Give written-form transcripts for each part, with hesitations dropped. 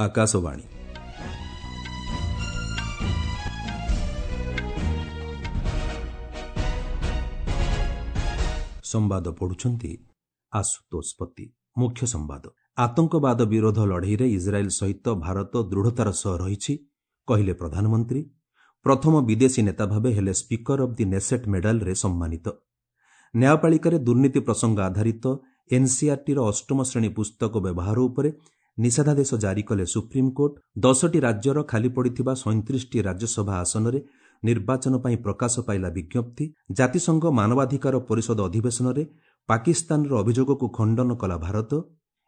ଆକାଶବାଣୀ। ସମ୍ବାଦ ପଢୁଛନ୍ତି ଆଶୁତୋଷ ପତି। ମୁଖ୍ୟ ସମ୍ବାଦ। ଆତଙ୍କବାଦ ବିରୋଧ ଲଢ଼େଇରେ ଇସ୍ରାଏଲ୍ ସହିତ ଭାରତ ଦୃଢ଼ତାର ସହ ରହିଛି, କହିଲେ ପ୍ରଧାନମନ୍ତ୍ରୀ। ପ୍ରଥମ ବିଦେଶୀ ନେତା ଭାବେ ହେଲେ ସ୍ପିକର ଅଫ୍ the Knesset ମେଡାଲରେ ସମ୍ମାନିତ। ନ୍ୟାୟପାଳିକାରେ ଦୁର୍ନୀତି ପ୍ରସଙ୍ଗ ଆଧାରିତ ଏନ୍ସିଆର୍ଟିର ଅଷ୍ଟମ ଶ୍ରେଣୀ ପୁସ୍ତକ ବ୍ୟବହାର ଉପରେ ନିଷେଧାଦେଶ ଜାରି କଲେ ସୁପ୍ରିମକୋର୍ଟ। 10ଟି ରାଜ୍ୟର ଖାଲି ପଡ଼ିଥିବା 37ଟି ରାଜ୍ୟସଭା ଆସନରେ ନିର୍ବାଚନ ପାଇଁ ପ୍ରକାଶ ପାଇଲା ବିଜ୍ଞପ୍ତି। ଜାତିସଂଘ ମାନବାଧିକାର ପରିଷଦ ଅଧିବେଶନରେ ପାକିସ୍ତାନର ଅଭିଯୋଗକୁ ଖଣ୍ଡନ କଲା ଭାରତ।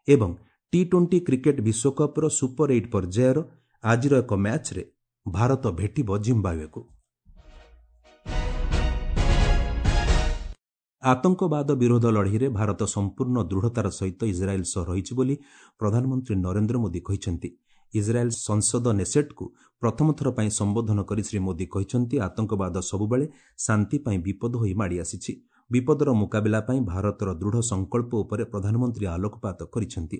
ଏବଂ ଟି-20 କ୍ରିକେଟ୍ ବିଶ୍ୱକପ୍ର ସୁପର ଏଇଟ୍ ପର୍ଯ୍ୟାୟର ଆଜିର ଏକ ମ୍ୟାଚ୍ରେ ଭାରତ ଭେଟିବ ଜିମ୍ବାୱେକୁ। ଆତଙ୍କବାଦ ବିରୋଧ ଲଢ଼େଇରେ ଭାରତ ସମ୍ପୂର୍ଣ୍ଣ ଦୃଢ଼ତାର ସହିତ ଇସ୍ରାଏଲ୍ ସହ ରହିଛି ବୋଲି ପ୍ରଧାନମନ୍ତ୍ରୀ ନରେନ୍ଦ୍ର ମୋଦି କହିଛନ୍ତି। ଇସ୍ରାଏଲ୍ ସଂସଦ ନେସେଟ୍କୁ ପ୍ରଥମ ଥର ପାଇଁ ସମ୍ବୋଧନ କରି ଶ୍ରୀ ମୋଦି କହିଛନ୍ତି, ଆତଙ୍କବାଦ ସବୁବେଳେ ଶାନ୍ତି ପାଇଁ ବିପଦ ହୋଇ ମାଡ଼ି ଆସିଛି। ବିପଦର ମୁକାବିଲା ପାଇଁ ଭାରତର ଦୃଢ଼ ସଂକଳ୍ପ ଉପରେ ପ୍ରଧାନମନ୍ତ୍ରୀ ଆଲୋକପାତ କରିଛନ୍ତି।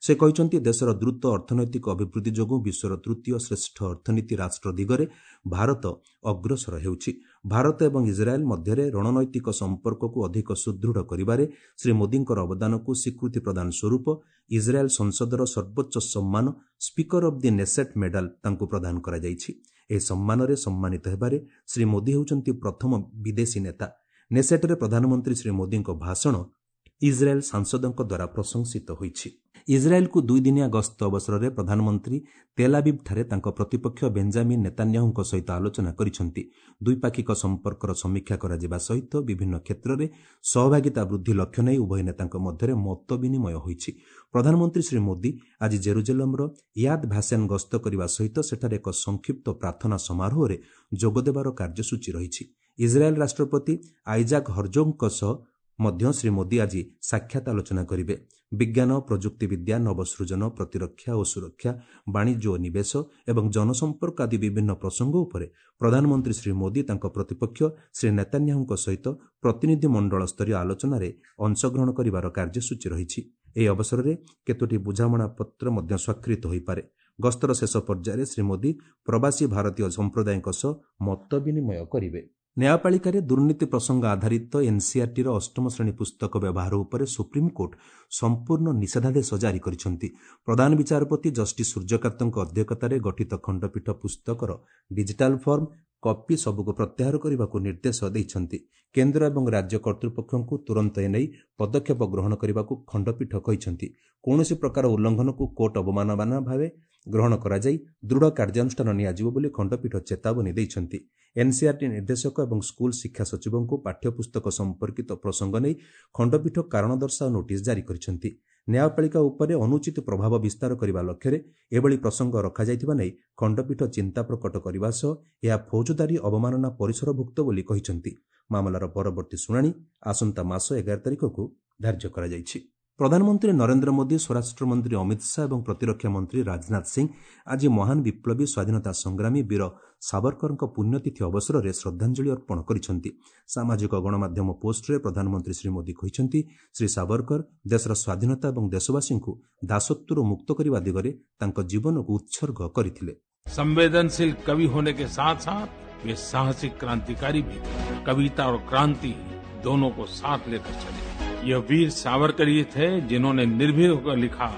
ସେ କହିଛନ୍ତି, ଦେଶର ଦ୍ରୁତ ଅର୍ଥନୈତିକ ଅଭିବୃଦ୍ଧି ଯୋଗୁଁ ବିଶ୍ୱର ତୃତୀୟ ଶ୍ରେଷ୍ଠ ଅର୍ଥନୀତି ରାଷ୍ଟ୍ର ଦିଗରେ ଭାରତ ଅଗ୍ରସର ହେଉଛି। ଭାରତ ଏବଂ ଇସ୍ରାଏଲ୍ ମଧ୍ୟରେ ରଣନୈତିକ ସମ୍ପର୍କକୁ ଅଧିକ ସୁଦୃଢ଼ କରିବାରେ ଶ୍ରୀ ମୋଦିଙ୍କର ଅବଦାନକୁ ସ୍ୱୀକୃତି ପ୍ରଦାନ ସ୍ୱରୂପ ଇସ୍ରାଏଲ୍ ସଂସଦର ସର୍ବୋଚ୍ଚ ସମ୍ମାନ speaker of the Knesset medal ତାଙ୍କୁ ପ୍ରଦାନ କରାଯାଇଛି। ଏହି ସମ୍ମାନରେ ସମ୍ମାନିତ ହେବାରେ ଶ୍ରୀ ମୋଦି ହେଉଛନ୍ତି ପ୍ରଥମ ବିଦେଶୀ ନେତା। ନେସେଟ୍ରେ ପ୍ରଧାନମନ୍ତ୍ରୀ ଶ୍ରୀ ମୋଦିଙ୍କ ଭାଷଣ ଇସ୍ରାଏଲ୍ ସାଂସଦଙ୍କ ଦ୍ୱାରା ପ୍ରଶଂସିତ ହୋଇଛି। ଇସ୍ରାଏଲ୍କୁ ଦୁଇଦିନିଆ ଗସ୍ତ ଅବସରରେ ପ୍ରଧାନମନ୍ତ୍ରୀ ତେଲାବିବ୍ଠାରେ ତାଙ୍କ ପ୍ରତିପକ୍ଷ ବେଞ୍ଜାମିନ୍ ନେତାନ୍ୟାହୁଙ୍କ ସହିତ ଆଲୋଚନା କରିଛନ୍ତି। ଦ୍ୱିପାକ୍ଷିକ ସମ୍ପର୍କର ସମୀକ୍ଷା କରାଯିବା ସହିତ ବିଭିନ୍ନ କ୍ଷେତ୍ରରେ ସହଭାଗିତା ବୃଦ୍ଧି ଲକ୍ଷ୍ୟ ନେଇ ଉଭୟ ନେତାଙ୍କ ମଧ୍ୟରେ ମତ ବିନିମୟ ହୋଇଛି। ପ୍ରଧାନମନ୍ତ୍ରୀ ଶ୍ରୀ ମୋଦି ଆଜି ଜେରୁଜେଲମ୍ର ୟାଦ୍ ଭାସେନ୍ ଗସ୍ତ କରିବା ସହିତ ସେଠାରେ ଏକ ସଂକ୍ଷିପ୍ତ ପ୍ରାର୍ଥନା ସମାରୋହରେ ଯୋଗଦେବାର କାର୍ଯ୍ୟସୂଚୀ ରହିଛି। ଇସ୍ରାଏଲ୍ ରାଷ୍ଟ୍ରପତି ଆଇଜାକ୍ ହର୍ଜୋଗଙ୍କ ସହ ମଧ୍ୟ ଶ୍ରୀ ମୋଦି ଆଜି ସାକ୍ଷାତ ଆଲୋଚନା କରିବେ। ବିଜ୍ଞାନ, ପ୍ରଯୁକ୍ତିବିଦ୍ୟା, ନବସୃଜନ, ପ୍ରତିରକ୍ଷା ଓ ସୁରକ୍ଷା, ବାଣିଜ୍ୟ ଓ ନିବେଶ ଏବଂ ଜନସମ୍ପର୍କ ଆଦି ବିଭିନ୍ନ ପ୍ରସଙ୍ଗ ଉପରେ ପ୍ରଧାନମନ୍ତ୍ରୀ ଶ୍ରୀ ମୋଦି ତାଙ୍କ ପ୍ରତିପକ୍ଷ ଶ୍ରୀ ନେତାନ୍ୟାହୁଙ୍କ ସହିତ ପ୍ରତିନିଧିମଣ୍ଡଳ ସ୍ତରୀୟ ଆଲୋଚନାରେ ଅଂଶଗ୍ରହଣ କରିବାର କାର୍ଯ୍ୟସୂଚୀ ରହିଛି। ଏହି ଅବସରରେ କେତୋଟି ବୁଝାମଣାପତ୍ର ମଧ୍ୟ ସ୍ୱାକ୍ଷରିତ ହୋଇପାରେ। ଗସ୍ତର ଶେଷ ପର୍ଯ୍ୟାୟରେ ଶ୍ରୀ ମୋଦି ପ୍ରବାସୀ ଭାରତୀୟ ସମ୍ପ୍ରଦାୟଙ୍କ ସହ ମତ ବିନିମୟ କରିବେ। ନ୍ୟାୟପାଳିକାରେ ଦୁର୍ନୀତି ପ୍ରସଙ୍ଗ ଆଧାରିତ ଏନ୍ସିଆର୍ଟିର ଅଷ୍ଟମ ଶ୍ରେଣୀ ପୁସ୍ତକ ବ୍ୟବହାର ଉପରେ ସୁପ୍ରିମକୋର୍ଟ ସମ୍ପୂର୍ଣ୍ଣ ନିଷେଧାଦେଶ ଜାରି କରିଛନ୍ତି। ପ୍ରଧାନ ବିଚାରପତି ଜଷ୍ଟିସ୍ ସୂର୍ଯ୍ୟକାନ୍ତଙ୍କ ଅଧ୍ୟକ୍ଷତାରେ ଗଠିତ ଖଣ୍ଡପୀଠ ପୁସ୍ତକର ଡିଜିଟାଲ ଫର୍ମ କପି ସବୁକୁ ପ୍ରତ୍ୟାହାର କରିବାକୁ ନିର୍ଦ୍ଦେଶ ଦେଇଛନ୍ତି। କେନ୍ଦ୍ର ଏବଂ ରାଜ୍ୟ କର୍ତ୍ତୃପକ୍ଷଙ୍କୁ ତୁରନ୍ତ ଏନେଇ ପଦକ୍ଷେପ ଗ୍ରହଣ କରିବାକୁ ଖଣ୍ଡପୀଠ କହିଛନ୍ତି। କୌଣସି ପ୍ରକାର ଉଲ୍ଲଂଘନକୁ କୋର୍ଟ ଅବମାନନା ଭାବେ ଗ୍ରହଣ କରାଯାଇ ଦୃଢ଼ କାର୍ଯ୍ୟାନୁଷ୍ଠାନ ନିଆଯିବ ବୋଲି ଖଣ୍ଡପୀଠ ଚେତାବନୀ ଦେଇଛନ୍ତି। ଏନ୍ସିଆର୍ଟି ନିର୍ଦ୍ଦେଶକ ଏବଂ ସ୍କୁଲ ଶିକ୍ଷା ସଚିବଙ୍କୁ ପାଠ୍ୟପୁସ୍ତକ ସମ୍ପର୍କିତ ପ୍ରସଙ୍ଗ ନେଇ ଖଣ୍ଡପୀଠ କାରଣ ଦର୍ଶାଅ ନୋଟିସ୍ ଜାରି କରିଛନ୍ତି। ନ୍ୟାୟପାଳିକା ଉପରେ ଅନୁଚିତ ପ୍ରଭାବ ବିସ୍ତାର କରିବା ଲକ୍ଷ୍ୟରେ ଏଭଳି ପ୍ରସଙ୍ଗ ରଖାଯାଇଥିବା ନେଇ ଖଣ୍ଡପୀଠ ଚିନ୍ତା ପ୍ରକଟ କରିବା ସହ ଏହା ଫୌଜଦାରୀ ଅବମାନନା ପରିସରଭୁକ୍ତ ବୋଲି କହିଛନ୍ତି। ମାମଲାର ପରବର୍ତ୍ତୀ ଶୁଣାଣି ଆସନ୍ତା ମାସ 11 ତାରିଖକୁ ଧାର୍ଯ୍ୟ କରାଯାଇଛି। ପ୍ରଧାନମନ୍ତ୍ରୀ ନରେନ୍ଦ୍ର ମୋଦି, ସ୍ୱରାଷ୍ଟ୍ରମନ୍ତ୍ରୀ ଅମିତ ଶାହା ଏବଂ ପ୍ରତିରକ୍ଷା ମନ୍ତ୍ରୀ ରାଜନାଥ ସିଂ ଆଜି ମହାନ ବିପ୍ଳବୀ ସ୍ୱାଧୀନତା ସଂଗ୍ରାମୀ ବୀର ସାବରକରଙ୍କ ପୁଣ୍ୟତିଥି ଅବସରରେ ଶ୍ରଦ୍ଧାଞ୍ଜଳି ଅର୍ପଣ କରିଛନ୍ତି। ସାମାଜିକ ଗଣମାଧ୍ୟମ ପୋଷ୍ଟରେ ପ୍ରଧାନମନ୍ତ୍ରୀ ଶ୍ରୀ ମୋଦି କହିଛନ୍ତି, ଶ୍ରୀ ସାବରକର ଦେଶର ସ୍ୱାଧୀନତା ଏବଂ ଦେଶବାସୀଙ୍କୁ ଦାସତ୍ୱରୁ ମୁକ୍ତ କରିବା ଦିଗରେ ତାଙ୍କ ଜୀବନକୁ ଉତ୍ସର୍ଗ କରିଥିଲେ। संवेदनशील कवि होने के साथ साथ वे साहसिक क्रांतिकारी भी थे। कविता और क्रांति दोनों को साथ लेकर चले। यह वीर सावरकर ही थे जिन्होंने निर्भीक होकर लिखा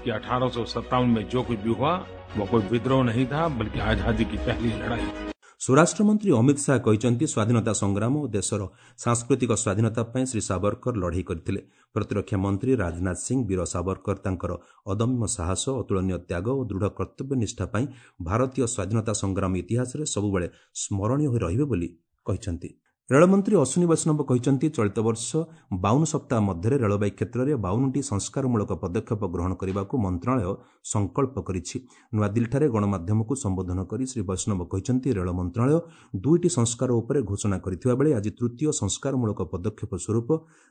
कि 1857 में जो कुछ भी हुआ वो कोई विद्रोह नहीं था, बल्कि आजादी की पहली लड़ाई थी। ସ୍ୱରାଷ୍ଟ୍ରମନ୍ତ୍ରୀ ଅମିତ ଶାହା କହିଛନ୍ତି, ସ୍ୱାଧୀନତା ସଂଗ୍ରାମ ଓ ଦେଶର ସାଂସ୍କୃତିକ ସ୍ୱାଧୀନତା ପାଇଁ ଶ୍ରୀ ସାବରକର ଲଢ଼େଇ କରିଥିଲେ। ପ୍ରତିରକ୍ଷା ମନ୍ତ୍ରୀ ରାଜନାଥ ସିଂ ବୀର ସାବରକର ତାଙ୍କର ଅଦମ୍ୟ ସାହସ, ଅତୁଳନୀୟ ତ୍ୟାଗ ଓ ଦୃଢ଼ କର୍ତ୍ତବ୍ୟ ନିଷ୍ଠା ପାଇଁ ଭାରତୀୟ ସ୍ୱାଧୀନତା ସଂଗ୍ରାମ ଇତିହାସରେ ସବୁବେଳେ ସ୍ମରଣୀୟ ହୋଇ ରହିବେ ବୋଲି କହିଛନ୍ତି। ରେଳମନ୍ତ୍ରୀ ଅଶ୍ୱିନୀ ବୈଷ୍ଣବ କହିଛନ୍ତି, ଚଳିତ ବର୍ଷ 52 ସପ୍ତାହ ମଧ୍ୟରେ ରେଳବାଇ କ୍ଷେତ୍ରରେ 52ଟି ସଂସ୍କାରମୂଳକ ପଦକ୍ଷେପ ଗ୍ରହଣ କରିବାକୁ ମନ୍ତ୍ରଣାଳୟ ସଂକଳ୍ପ କରିଛି। ନୂଆଦିଲ୍ଲୀଠାରେ ଗଣମାଧ୍ୟମକୁ ସମ୍ବୋଧନ କରି ଶ୍ରୀ ବୈଷ୍ଣବ କହିଛନ୍ତି, ରେଳ ମନ୍ତ୍ରଣାଳୟ 2ଟି ସଂସ୍କାର ଉପରେ ଘୋଷଣା କରିଥିବା ବେଳେ ଆଜି ତୃତୀୟ ସଂସ୍କାରମୂଳକ ପଦକ୍ଷେପ ସ୍ୱରୂପ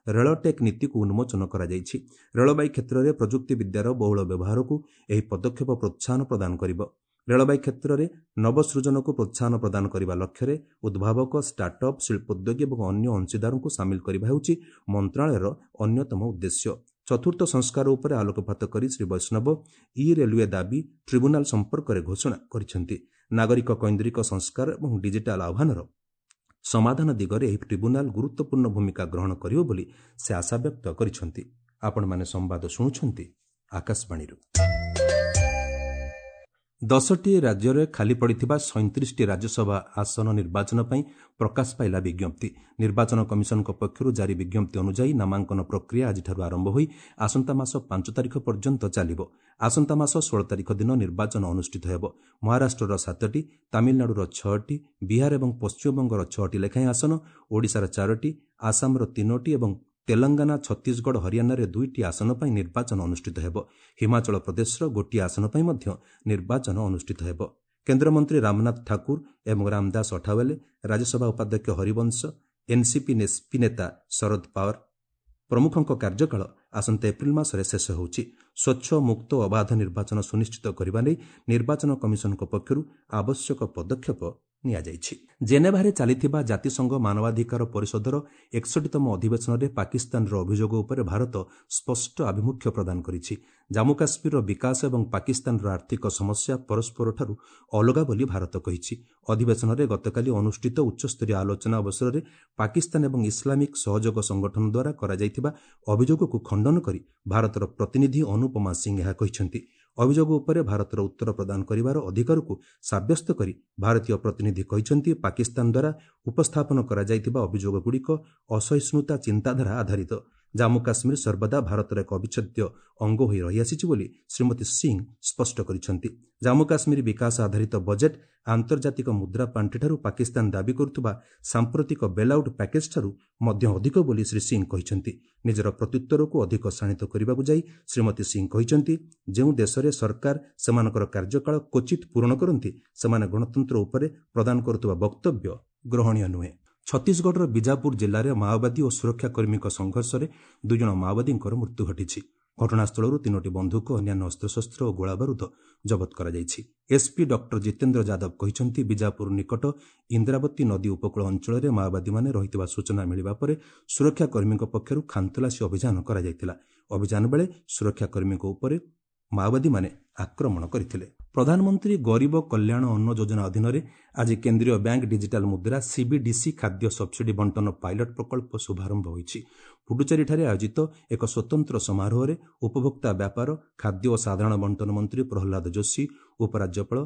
ରେଳଟେକ୍ ନୀତିକୁ ଉନ୍ମୋଚନ କରାଯାଇଛି। ରେଳବାଇ କ୍ଷେତ୍ରରେ ପ୍ରଯୁକ୍ତିବିଦ୍ୟାର ବହୁଳ ବ୍ୟବହାରକୁ ଏହି ପଦକ୍ଷେପ ପ୍ରୋତ୍ସାହନ ପ୍ରଦାନ କରିବ। ରେଳବାଇ କ୍ଷେତ୍ରରେ ନବସୃଜନକୁ ପ୍ରୋତ୍ସାହନ ପ୍ରଦାନ କରିବା ଲକ୍ଷ୍ୟରେ ଉଦ୍ଭାବକ, ଷ୍ଟାର୍ଟଅପ୍, ଶିଳ୍ପୋଦ୍ୟୋଗୀ ଏବଂ ଅନ୍ୟ ଅଂଶୀଦାରଙ୍କୁ ସାମିଲ କରିବା ହେଉଛି ମନ୍ତ୍ରଣାଳୟର ଅନ୍ୟତମ ଉଦ୍ଦେଶ୍ୟ। ଚତୁର୍ଥ ସଂସ୍କାର ଉପରେ ଆଲୋକପାତ କରି ଶ୍ରୀ ବୈଷ୍ଣବ ଇ ରେଲୱେ ଦାବି ଟ୍ରିବ୍ୟୁନାଲ ସମ୍ପର୍କରେ ଘୋଷଣା କରିଛନ୍ତି। ନାଗରିକ କୈନ୍ଦ୍ରିକ ସଂସ୍କାର ଏବଂ ଡିଜିଟାଲ ଆହ୍ୱାନର ସମାଧାନ ଦିଗରେ ଏହି ଟ୍ରିବ୍ୟୁନାଲ ଗୁରୁତ୍ୱପୂର୍ଣ୍ଣ ଭୂମିକା ଗ୍ରହଣ କରିବ ବୋଲି ସେ ଆଶାବ୍ୟକ୍ତ କରିଛନ୍ତି। ଆପଣମାନେ ସମ୍ବାଦ ଶୁଣୁଛନ୍ତି ଆକାଶବାଣୀରୁ। 10ଟି ରାଜ୍ୟରେ ଖାଲି ପଡ଼ିଥିବା 37ଟି ରାଜ୍ୟସଭା ଆସନ ନିର୍ବାଚନ ପାଇଁ ପ୍ରକାଶ ପାଇଲା ବିଜ୍ଞପ୍ତି। ନିର୍ବାଚନ କମିଶନଙ୍କ ପକ୍ଷରୁ ଜାରି ବିଜ୍ଞପ୍ତି ଅନୁଯାୟୀ ନାମାଙ୍କନ ପ୍ରକ୍ରିୟା ଆଜିଠାରୁ ଆରମ୍ଭ ହୋଇ ଆସନ୍ତା ମାସ 5 ତାରିଖ ପର୍ଯ୍ୟନ୍ତ ଚାଲିବ। ଆସନ୍ତା ମାସ 16 ତାରିଖ ଦିନ ନିର୍ବାଚନ ଅନୁଷ୍ଠିତ ହେବ। ମହାରାଷ୍ଟ୍ରର 7ଟି, ତାମିଲନାଡୁର 6ଟି, ବିହାର ଏବଂ ପଶ୍ଚିମବଙ୍ଗର 6ଟି ଲେଖାଏଁ ଆସନ, ଓଡ଼ିଶାର 4ଟି, ଆସାମର 3ଟି ଏବଂ ତେଲଙ୍ଗାନା, ଛତିଶଗଡ଼, ହରିୟାଣାରେ 2ଟି ଆସନ ପାଇଁ ନିର୍ବାଚନ ଅନୁଷ୍ଠିତ ହେବ। ହିମାଚଳ ପ୍ରଦେଶର ଗୋଟିଏ ଆସନ ପାଇଁ ମଧ୍ୟ ନିର୍ବାଚନ ଅନୁଷ୍ଠିତ ହେବ। କେନ୍ଦ୍ରମନ୍ତ୍ରୀ ରାମନାଥ ଠାକୁର ଏବଂ ରାମଦାସ ଅଠାୱଲେ, ରାଜ୍ୟସଭା ଉପାଧ୍ୟକ୍ଷ ହରିବଂଶ, ଏନ୍ସିପି ନେସ୍ପି ନେତା ଶରଦ ପାୱାର ପ୍ରମୁଖଙ୍କ କାର୍ଯ୍ୟକାଳ ଆସନ୍ତା ଏପ୍ରିଲ ମାସରେ ଶେଷ ହେଉଛି। ସ୍ୱଚ୍ଛ, ମୁକ୍ତ ଓ ଅବାଧ ନିର୍ବାଚନ ସୁନିଶ୍ଚିତ କରିବା ନେଇ ନିର୍ବାଚନ କମିଶନଙ୍କ ପକ୍ଷରୁ ଆବଶ୍ୟକ ପଦକ୍ଷେପ ନିଆଯାଇଛି। ଜେନେଭାରେ ଚାଲିଥିବା ଜାତିସଂଘ ମାନବାଧିକାର ପରିଷଦର 61ତମ ଅଧିବେଶନରେ ପାକିସ୍ତାନର ଅଭିଯୋଗ ଉପରେ ଭାରତ ସ୍ପଷ୍ଟ ଆଭିମୁଖ୍ୟ ପ୍ରଦାନ କରିଛି। ଜାମ୍ମୁ କାଶ୍ମୀରର ବିକାଶ ଏବଂ ପାକିସ୍ତାନର ଆର୍ଥିକ ସମସ୍ୟା ପରସ୍ପରଠାରୁ ଅଲଗା ବୋଲି ଭାରତ କହିଛି। ଅଧିବେଶନରେ ଗତକାଲି ଅନୁଷ୍ଠିତ ଉଚ୍ଚସ୍ତରୀୟ ଆଲୋଚନା ଅବସରରେ ପାକିସ୍ତାନ ଏବଂ ଇସଲାମିକ ସହଯୋଗ ସଂଗଠନ ଦ୍ୱାରା କରାଯାଇଥିବା ଅଭିଯୋଗକୁ ଖଣ୍ଡନ କରି ଭାରତର ପ୍ରତିନିଧି ଅନୁପମା ସିଂ ଏହା କହିଛନ୍ତି। ଅଭିଯୋଗ ଉପରେ ଭାରତର ଉତ୍ତର ପ୍ରଦାନ କରିବାର ଅଧିକାରକୁ ସାବ୍ୟସ୍ତ କରି ଭାରତୀୟ ପ୍ରତିନିଧି କହିଛନ୍ତି, ପାକିସ୍ତାନ ଦ୍ୱାରା ଉପସ୍ଥାପନ କରାଯାଇଥିବା ଅଭିଯୋଗଗୁଡ଼ିକ ଅସହିଷ୍ଣୁତା ଚିନ୍ତାଧାରା ଆଧାରିତ। ଜାମ୍ମୁ କାଶ୍ମୀର ସର୍ବଦା ଭାରତର ଏକ ଅବିଚ୍ଛେଦ୍ୟ ଅଙ୍ଗ ହୋଇ ରହିଆସିଛି ବୋଲି ଶ୍ରୀମତୀ ସିଂ ସ୍ପଷ୍ଟ କରିଛନ୍ତି। ଜାମ୍ମୁ କାଶ୍ମୀର ବିକାଶ ଆଧାରିତ ବଜେଟ୍ ଆନ୍ତର୍ଜାତିକ ମୁଦ୍ରା ପାଣ୍ଠିଠାରୁ ପାକିସ୍ତାନ ଦାବି କରୁଥିବା ସାମ୍ପ୍ରତିକ ବେଲ୍ଆଉଟ୍ ପ୍ୟାକେଜ୍ଠାରୁ ମଧ୍ୟ ଅଧିକ ବୋଲି ଶ୍ରୀ ସିଂ କହିଛନ୍ତି। ନିଜର ପ୍ରତ୍ୟୁତ୍ତରକୁ ଅଧିକ ଶାଣିତ କରିବାକୁ ଯାଇ ଶ୍ରୀମତୀ ସିଂ କହିଛନ୍ତି, ଯେଉଁ ଦେଶରେ ସରକାର ସେମାନଙ୍କର କାର୍ଯ୍ୟକାଳ କ୍ୱଚିତ୍ ପୂରଣ କରନ୍ତି, ସେମାନେ ଗଣତନ୍ତ୍ର ଉପରେ ପ୍ରଦାନ କରୁଥିବା ବକ୍ତବ୍ୟ ଗ୍ରହଣୀୟ ନୁହେଁ। ଛତିଶଗଡ଼ର ବିଜାପୁର ଜିଲ୍ଲାରେ ମାଓବାଦୀ ଓ ସୁରକ୍ଷାକର୍ମୀଙ୍କ ସଂଘର୍ଷରେ 2 ଜଣ ମାଓବାଦୀଙ୍କର ମୃତ୍ୟୁ ଘଟିଛି। ଘଟଣାସ୍ଥଳରୁ 3ଟି ବନ୍ଧୁକ, ଅନ୍ୟାନ୍ୟ ଅସ୍ତ୍ରଶସ୍ତ୍ର ଓ ଗୋଳାବାରୁଦ ଜବତ କରାଯାଇଛି। ଏସ୍ପି ଡକ୍ଟର ଜିତେନ୍ଦ୍ର ଯାଦବ କହିଛନ୍ତି, ବିଜାପୁର ନିକଟ ଇନ୍ଦ୍ରାବତୀ ନଦୀ ଉପକୂଳ ଅଞ୍ଚଳରେ ମାଓବାଦୀମାନେ ରହିଥିବା ସୂଚନା ମିଳିବା ପରେ ସୁରକ୍ଷାକର୍ମୀଙ୍କ ପକ୍ଷରୁ ଖାନ୍ତଲାସୀ ଅଭିଯାନ କରାଯାଇଥିଲା। ଅଭିଯାନ ବେଳେ ସୁରକ୍ଷାକର୍ମୀଙ୍କ ଉପରେ ମାଓବାଦୀମାନେ ଆକ୍ରମଣ କରିଥିଲେ। ପ୍ରଧାନମନ୍ତ୍ରୀ ଗରିବ କଲ୍ୟାଣ ଅନ୍ନ ଯୋଜନା ଅଧୀନରେ ଆଜି କେନ୍ଦ୍ରୀୟ ବ୍ୟାଙ୍କ ଡିଜିଟାଲ ମୁଦ୍ରା ସିବିଡିସି ଖାଦ୍ୟ ସବସିଡି ବଣ୍ଟନ ପାଇଲଟ ପ୍ରକଳ୍ପ ଶୁଭାରମ୍ଭ ହୋଇଛି। ପୁଡୁଚେରୀଠାରେ ଆୟୋଜିତ ଏକ ସ୍ୱତନ୍ତ୍ର ସମାରୋହରେ ଉପଭୋକ୍ତା ବ୍ୟାପାର, ଖାଦ୍ୟ ଓ ସାଧାରଣ ବଣ୍ଟନ ମନ୍ତ୍ରୀ ପ୍ରହ୍ଲାଦ ଯୋଶୀ, ଉପରାଜ୍ୟପାଳ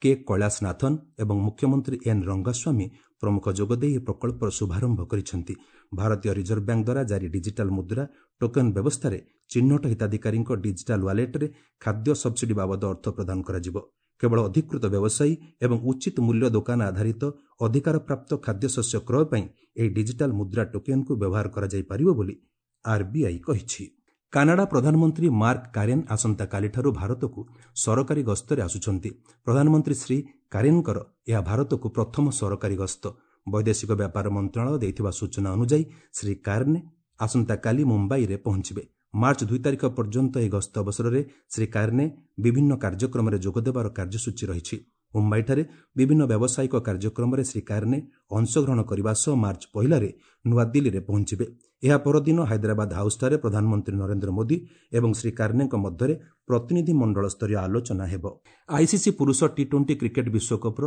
କେ କୈଳାସନାଥନ ଏବଂ ମୁଖ୍ୟମନ୍ତ୍ରୀ ଏନ୍ ରଙ୍ଗାସ୍ୱାମୀ ପ୍ରମୁଖ ଯୋଗଦେଇ ଏହି ପ୍ରକଳ୍ପର ଶୁଭାରମ୍ଭ କରିଛନ୍ତି। ଭାରତୀୟ ରିଜର୍ଭ ବ୍ୟାଙ୍କ ଦ୍ୱାରା ଜାରି ଡିଜିଟାଲ ମୁଦ୍ରା ଟୋକେନ୍ ବ୍ୟବସ୍ଥାରେ ଚିହ୍ନଟ ହିତାଧିକାରୀଙ୍କ ଡିଜିଟାଲ ୱାଲେଟ୍ରେ ଖାଦ୍ୟ ସବସିଡି ବାବଦ ଅର୍ଥ ପ୍ରଦାନ କରାଯିବ। କେବଳ ଅଧିକୃତ ବ୍ୟବସାୟୀ ଏବଂ ଉଚିତ ମୂଲ୍ୟ ଦୋକାନ ଆଧାରିତ ଅଧିକାରପ୍ରାପ୍ତ ଖାଦ୍ୟଶସ୍ୟ କ୍ରୟ ପାଇଁ ଏହି ଡିଜିଟାଲ ମୁଦ୍ରା ଟୋକେନ୍କୁ ବ୍ୟବହାର କରାଯାଇପାରିବ ବୋଲି ଆର୍ବିଆଇ କହିଛି। କାନାଡା ପ୍ରଧାନମନ୍ତ୍ରୀ ମାର୍କ କାରେନ୍ ଆସନ୍ତାକାଲିଠାରୁ ଭାରତକୁ ସରକାରୀ ଗସ୍ତରେ ଆସୁଛନ୍ତି। ପ୍ରଧାନମନ୍ତ୍ରୀ ଶ୍ରୀ କାରେନ୍ଙ୍କର ଏହା ଭାରତକୁ ପ୍ରଥମ ସରକାରୀ ଗସ୍ତ। ବୈଦେଶିକ ବ୍ୟାପାର ମନ୍ତ୍ରଣାଳୟ ଦେଇଥିବା ସୂଚନା ଅନୁଯାୟୀ ଶ୍ରୀ କାର୍ନେ ଆସନ୍ତାକାଲି ମୁମ୍ବାଇରେ ପହଞ୍ଚିବେ। ମାର୍ଚ୍ଚ 2 ତାରିଖ ପର୍ଯ୍ୟନ୍ତ ଏହି ଗସ୍ତ ଅବସରରେ ଶ୍ରୀ କାର୍ନେ ବିଭିନ୍ନ କାର୍ଯ୍ୟକ୍ରମରେ ଯୋଗଦେବାର କାର୍ଯ୍ୟସୂଚୀ ରହିଛି। ମୁମ୍ବାଇଠାରେ ବିଭିନ୍ନ ବ୍ୟବସାୟିକ କାର୍ଯ୍ୟକ୍ରମରେ ଶ୍ରୀ କାର୍ନେ ଅଂଶଗ୍ରହଣ କରିବା ସହ ମାର୍ଚ୍ଚ 1ରେ ନୂଆଦିଲ୍ଲୀରେ ପହଞ୍ଚିବେ। ଏହା ପରଦିନ ହାଇଦ୍ରାବାଦ ହାଉସ୍ଠାରେ ପ୍ରଧାନମନ୍ତ୍ରୀ ନରେନ୍ଦ୍ର ମୋଦି ଏବଂ ଶ୍ରୀ କାର୍ନେଙ୍କ ମଧ୍ୟରେ ପ୍ରତିନିଧି ମଣ୍ଡଳ ସ୍ତରୀୟ ଆଲୋଚନା ହେବ। ଆଇସିସି ପୁରୁଷ ଟି-20 କ୍ରିକେଟ୍ ବିଶ୍ୱକପ୍ର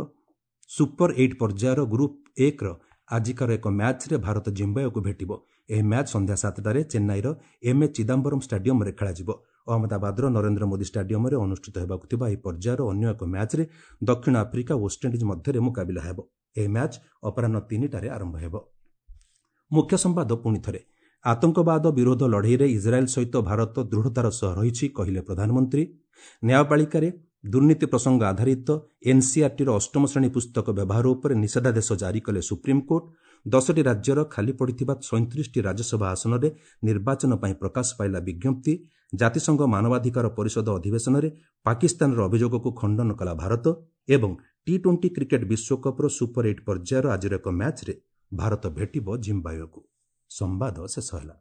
ସୁପର 8 ପର୍ଯ୍ୟାୟର ଗ୍ରୁପ୍ 1ର ଆଜିକାର ଏକ ମ୍ୟାଚ୍ରେ ଭାରତ ଜିମ୍ବାୱେକୁ ଭେଟିବ। ଏହି ମ୍ୟାଚ୍ ସନ୍ଧ୍ୟା 7ଟାରେ ଚେନ୍ନାଇର ଏମ୍ଏ ଚିଦାମ୍ବରମ୍ ଷ୍ଟାଡିୟମ୍ରେ ଖେଳାଯିବ। ଅହମ୍ମଦାବାଦର ନରେନ୍ଦ୍ର ମୋଦି ଷ୍ଟାଡିୟମ୍ରେ ଅନୁଷ୍ଠିତ ହେବାକୁ ଥିବା ଏହି ପର୍ଯ୍ୟାୟର ଅନ୍ୟ ଏକ ମ୍ୟାଚ୍ରେ ଦକ୍ଷିଣ ଆଫ୍ରିକା ଓ ୱେଷ୍ଟଇଣ୍ଡିଜ୍ ମଧ୍ୟରେ ମୁକାବିଲା ହେବ। ଏହି ମ୍ୟାଚ୍ ଅପରାହ୍ନ 3ଟାରେ ଆରମ୍ଭ ହେବ। ମୁଖ୍ୟ ସମ୍ବାଦ ପୁଣି ଥରେ। ଆତଙ୍କବାଦ ବିରୋଧ ଲଢ଼େଇରେ ଇସ୍ରାଏଲ୍ ସହିତ ଭାରତ ଦୃଢ଼ତାର ସହ ରହିଛି, କହିଲେ ପ୍ରଧାନମନ୍ତ୍ରୀ। ନ୍ୟାୟପାଳିକାରେ ଦୁର୍ନୀତି ପ୍ରସଙ୍ଗ ଆଧାରିତ ଏନ୍ସିଆର୍ଟିର 8ମ ଶ୍ରେଣୀ ପୁସ୍ତକ ବ୍ୟବହାର ଉପରେ ନିଷେଧାଦେଶ ଜାରି କଲେ ସୁପ୍ରିମକୋର୍ଟ। 10ଟି ରାଜ୍ୟର ଖାଲି ପଡ଼ିଥିବା 37ଟି ରାଜ୍ୟସଭା ଆସନରେ ନିର୍ବାଚନ ପାଇଁ ପ୍ରକାଶ ପାଇଲା ବିଜ୍ଞପ୍ତି। ଜାତିସଂଘ ମାନବାଧିକାର ପରିଷଦ ଅଧିବେଶନରେ ପାକିସ୍ତାନର ଅଭିଯୋଗକୁ ଖଣ୍ଡନ କଲା ଭାରତ। ଏବଂ ଟି-20 କ୍ରିକେଟ୍ ବିଶ୍ୱକପ୍ର ସୁପର 8 ପର୍ଯ୍ୟାୟର ଆଜିର ଏକ ମ୍ୟାଚ୍ରେ ଭାରତ ଭେଟିବ ଜିମ୍ବାୱେକୁ। ସମ୍ବାଦ ଶେଷ ହେଲା।